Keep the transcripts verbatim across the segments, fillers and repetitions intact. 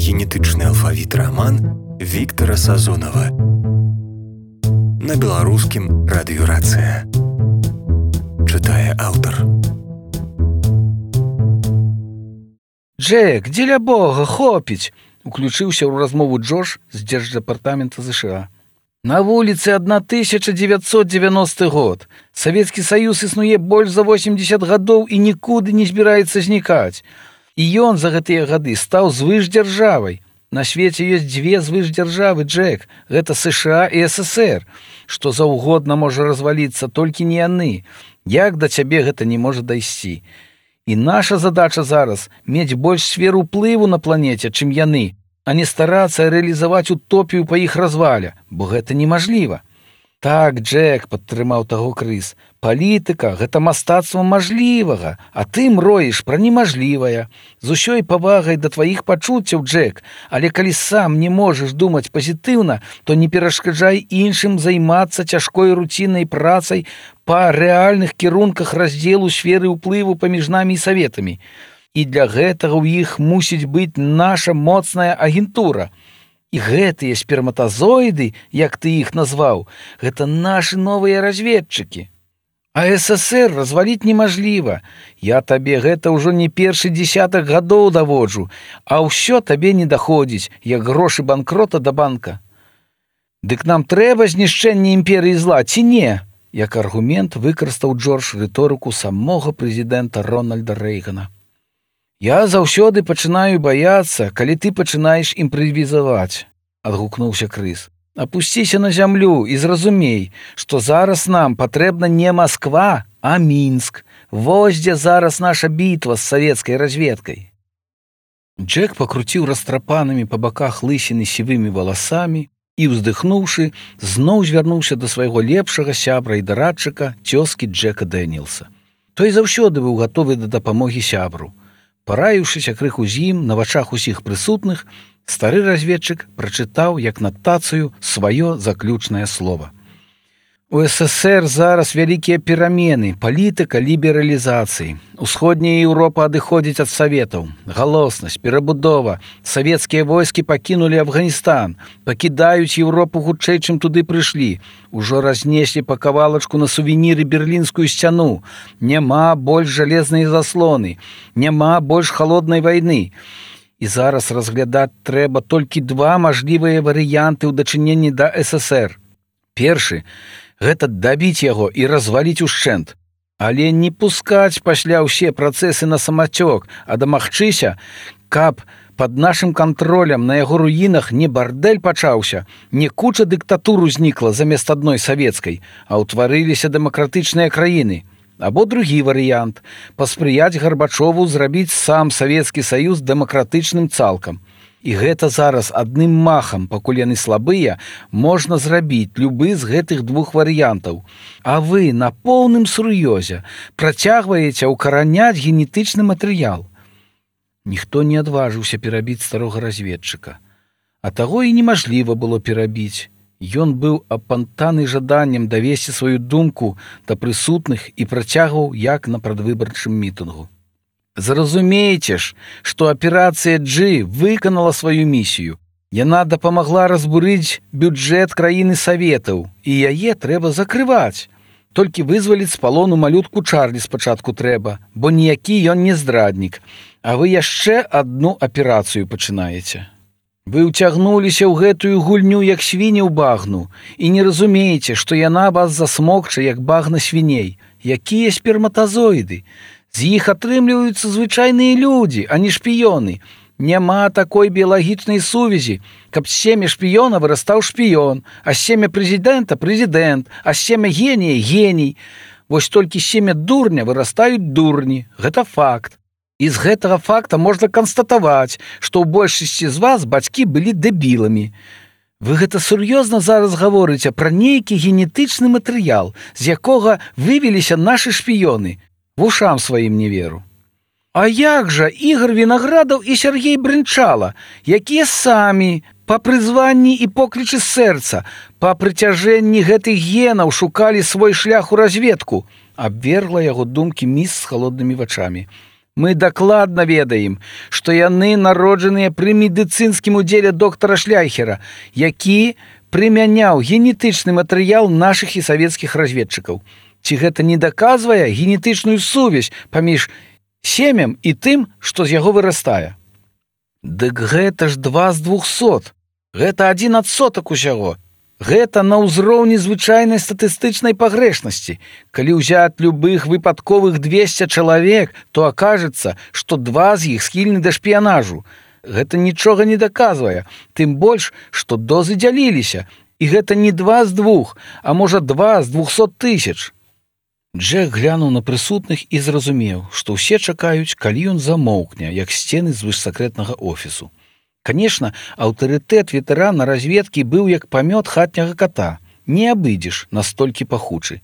генетычны алфавіт раман Віктара Сазонава. На беларускім радыёрацыя. Чытае аўтар. Джек, дзеля бога, хопіць! Уключыўся ў размову Джош з дзярждэпартамента ЗША. На вуліцы тысяча дзевяцьсот дзевяносты год. Савецкі Саюз існуе больш за восемьдесят гадоў і нікуды не збіраецца знікаць. І ён за гэтыя гады стаў звышдзяржавай. На свеце ёсць дзве звышдзяржавы, Джек. Гэта США і СССР. Што заўгодна можа разваліцца, толькі не яны. Як да цябе гэта не можа дайсці? І наша задача зараз мець больш сфер уплыву на планеце, чым яны, а не старацца рэалізаваць утопію па іх развале, бо гэта немажліва. Так, Джек, падтрымаў таго Крыс, палітыка – гэта мастацтва мажлівага, а ты мроіш пра немажлівае. З усёй павагай да тваіх пачуццяў, Джек, але калі сам не можаш думаць пазітыўна, то не перашкаджай іншым займацца цяжкой руціннай працай па рэальных кірунках раздзелу сферы ўплыву паміж намі і саветамі. І для гэтага ў іх мусіць быць наша моцная агентура. І гэтыя сперматазоіды, як ты іх назваў, гэта нашы новыя разведчыкі. А СССР разваліць немажліва. Я табе гэта ўжо не першы дзесятак гадоў даводжу, а ўсё табе не даходзіць, як грошы банкрота да банка. Дык нам трэба знішчэнне імперыі зла, ці не? Як аргумент выкарыстаў Джордж рыторыку самога прэзідэнта Рональда Рэйгана. Я заўсёды пачынаю баяцца, калі ты пачынаеш імправізаваць, адгукнуўся Крыс. Апусціся на зямлю і зразумей, што зараз нам патрэбна не Масква, а Мінск. Вось дзе зараз наша бітва з савецкай разведкай. Джек пакруціў растрапанымі па баках лысіны сівымі валасамі і, уздыхнуўшы, зноў звярнуўся да свайго лепшага сябра і дарадчыка, цёзкі Джека Дэніелса. Той заўсёды быў гатовы да дапамогі сябру. Параіўшыся крыху з ім на вачах усіх прысутных, стары разведчык прачытаў як натацыю сваё заключнае слова. У СССР зараз вялікія перамены, палітыка лібералізацыі. Усходняя Еўропа адыходзіць ад саветаў. Галоснасць, перабудова. Савецкія войскі пакінулі Афганістан, пакідаюць Еўропу хутчэй, чым туды прыйшлі. Ужо разнеслі па кавалачку на сувеніры берлінскую сцяну. Няма больш жалезнай заслоны, няма больш халоднай вайны. І зараз разглядаць трэба толькі два мажлівыя варыянты ў дачыненні да СССР. Першы – гэта дабіць яго і разваліць ушчэнт. Але не пускаць пасля ўсе працэсы на самацёк, а дамагчыся, каб пад нашым кантролем на яго руінах не бардэль пачаўся, не куча дыктатур узнікла замест адной савецкай, а ўтварыліся дэмакратычныя краіны. Або другі варыянт – паспрыяць Гарбачову зрабіць сам Савецкі Саюз дэмакратычным цалкам. І гэта зараз адным махам, пакуль яны слабыя, можна зрабіць любы з гэтых двух варыянтаў. А вы на поўным сур'ёзе працягваеце ўкараняць генетычны матэрыял. Ніхто не адважыўся перабіць старога разведчыка. А таго і немажліва было перабіць. Ён быў апантаны жаданнем давесці сваю думку да прысутных і працягваў як на прадвыбарчым мітынгу. Зразумейце ж, што аперацыя G выканала сваю місію. Яна дапамагла разбурыць бюджэт краіны Саветаў, і яе трэба закрываць. Толькі вызваліць з палону малютку Чарлі спачатку трэба, бо ніякі ён не здраднік, а вы яшчэ адну аперацыю пачынаеце. Вы ўцягнуліся ў гэтую гульню як свіні ў багну і не разумееце, што яна вас засмокча як багна свіней. Якія сперматазоіды? З іх атрымліваюцца звычайныя людзі, а не шпіёны. Няма такой біялагічнай сувязі, каб з семя шпіёна вырастаў шпіён, а з семя прэзідэнта – прэзідэнт, а з семя генія – геній. Вось толькі з семя дурня вырастаюць дурні. Гэта факт. І з гэтага факта можна канстатаваць, што ў большасці з вас бацькі былі дэбіламі. Вы гэта сур'ёзна зараз гаворыце пра нейкі генетычны матэрыял, з якога вывеліся нашы шпіёны. Вушам сваім не веру. А як жа Ігор Вінаградаў і Сергей Брынчала, якія самі па прызванні і поклічы сэрца, па прыцяжэнні гэтых генаў шукалі свой шлях у разведку, абвергла яго думкі міс з халоднымі вачамі. Мы дакладна ведаем, што яны народжаныя пры медыцынскім удзеле доктара Шляйхера, які прымяняў генетычны матэрыял нашых і савецкіх разведчыкаў. Ці гэта не даказвае генетычную сувязь паміж семем і тым, што з яго вырастае? Дык гэта ж два з двухсот. Гэта адзін адсотак усяго. Гэта на ўзроўні звычайнай статыстычнай пагрэшнасці. Калі ўзяць любых выпадковых двесце чалавек, то акажецца, што два з іх схільны да шпіянажу. Гэта нічога не даказвае, тым больш, што дозы дзяліліся. І гэта не два з двух, а можа два з двухсот тысяч. Джек глянуў на прысутных і зразумеў, што ўсе чакаюць, калі ён замоўкне, як сцены звышсакрэтнага офісу. Канешне, аўтарытэт ветэрана разведкі быў як памёт хатняга ката. Не абыдзеш, настолькі пахучы.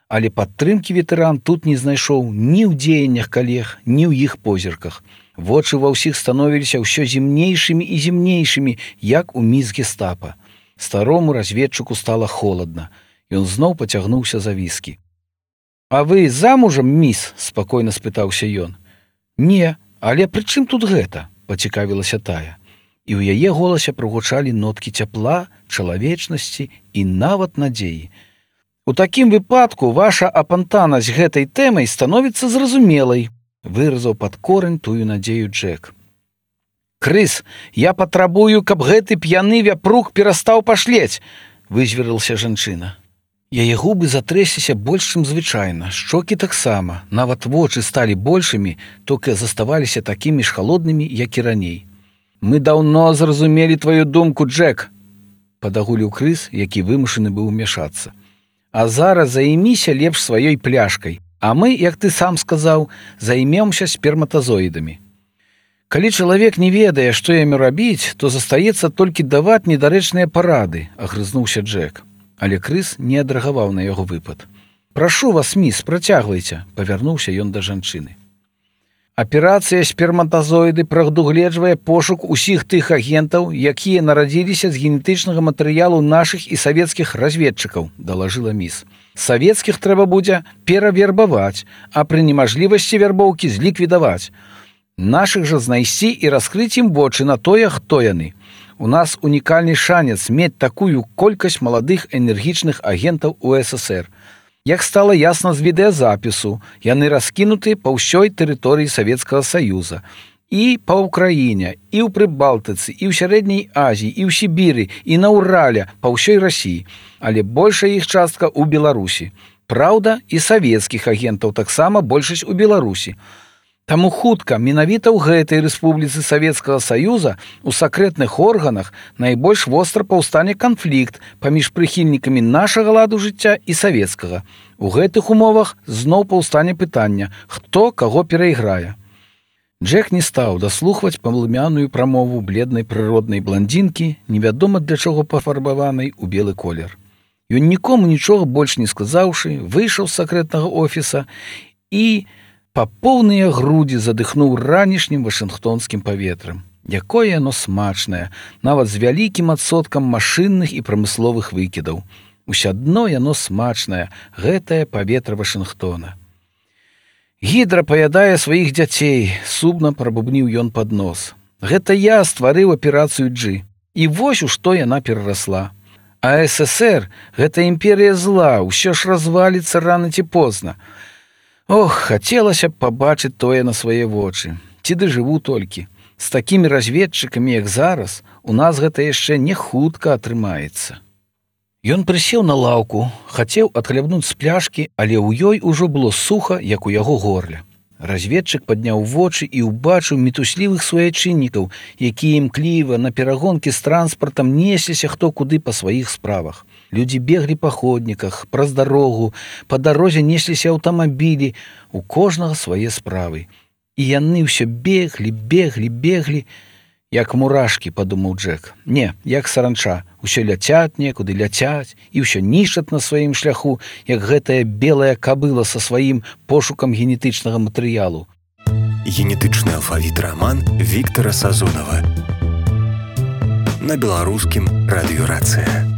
Але падтрымкі ветэран тут не знайшоў ні ў дзеяннях калег, ні ў іх позірках. Вочы ва ўсіх становіліся ўсё зімнейшымі і зімнейшымі, як у міс гестапа. Старому разведчыку стала холадна. Ён зноў пацягнуўся за віскі. «А вы замужам, міс?» – спакойна спытаўся ён. «Не, але пры чым тут гэта?» – пацікавілася тая. І ў яе голасе прагучалі ноткі цяпла, чалавечнасці і нават надзеі. «У такім выпадку ваша апантанасць гэтай тэмай становіцца зразумелай», – выразаў пад корань тую надзею Джек. «Крыс, я патрабую, каб гэты п'яны вяпрук перастаў пашлець!» – вызверылася жанчына. Яе губы затрэсліся больш, чым звычайна, шчокі таксама, нават вочы сталі большымі, толькі заставаліся такімі ж халоднымі, як і раней. «Мы даўно зразумелі тваю думку, Джек!» – падагуліў крыс, які вымушаны быў умяшацца. «А зараз займіся лепш сваёй пляшкай, а мы, як ты сам сказаў, займемся сперматазоідамі». Калі чалавек не ведае, што яму рабіць, то застаецца толькі даваць недарэчныя парады, агрызнуўся Джек. Але крыс не адрэагаваў на яго выпад. «Прашу вас, міс, працягвайце», – павярнуўся ён да жанчыны. «Аперацыя сперматазоіды прадугледжвае пошук усіх тых агентаў, якія нарадзіліся з генетычнага матэрыялу нашых і савецкіх разведчыкаў», – далажыла міс. «Савецкіх трэба будзе перавербаваць, а пры немажлівасці вярбоўкі зліквідаваць. Нашых жа знайсці і раскрыць ім вочы на тое, хто яны. У нас унікальны шанец мець такую колькасць маладых энергічных агентаў у эс эс ер. Як стала ясна з відэазапісу, яны раскінуты па ўсёй тэрыторыі Савецкага Саюза. І па ўкраіне, і ў Прыбалтыцы, і ў Сярэдняй Азіі, і ў Сібіры, і на Урале, па ўсёй Расіі. Але большая іх частка ў Беларусі. Праўда, і савецкіх агентаў таксама большасць у Беларусі. Таму хутка менавіта ў гэтай рэспубліцы Савецкага Саюза у сакрэтных органах найбольш востра паўстане канфлікт паміж прыхільнікамі нашага ладу жыцця і савецкага. У гэтых умовах зноў паўстане пытання, хто каго перайграе. Джек не стаў даслухваць палымяную прамову бледнай прыроднай бландзінкі, невядома для чаго пафарбаванай у белы колер. Ён нікому нічога больш не сказаўшы, выйшаў з сакрэтнага офіса і па поўныя грудзі задыхнуў ранішнім вашынгтонскім паветрам. Якое яно смачнае, нават з вялікім адсоткам машынных і прамысловых выкідаў. Усядно яно смачнае, гэтае паветра Вашынгтона. «Гідра паядае сваіх дзяцей», – сумна прабубніў ён пад нос. «Гэта я стварыў аперацыю Джи, і вось у што яна перарасла. А эс эс ер – гэта імперія зла, усё ж разваліцца рана ці позна. Ох, хацелася б пабачыць тое на свае вочы. Ці дажыву толькі. З такімі разведчыкамі, як зараз, у нас гэта яшчэ не хутка атрымаецца». Ён прысеў на лаўку, хацеў адхлябнуць з пляшкі, але ў ёй ужо было суха, як у яго горле. Разведчык падняў вочы і ўбачыў мітуслівых суайчыннікаў, якія імкліва на перагонкі з транспартам несліся хто куды па сваіх справах. Людзі беглі па ходніках, праз дарогу, па дарозе несліся аўтамабілі, у кожнага свае справы. І яны ўсё беглі, беглі, беглі, як мурашкі, падумаў Джек. Не, як саранча, усё ляцяць некуды, ляцяць, і ўсё нішчаць на сваім шляху, як гэтая белая кабыла са сваім пошукам генетычнага матэрыялу. Генетычны алфавіт раман Віктара Сазонава. На беларускім радыёрацыя.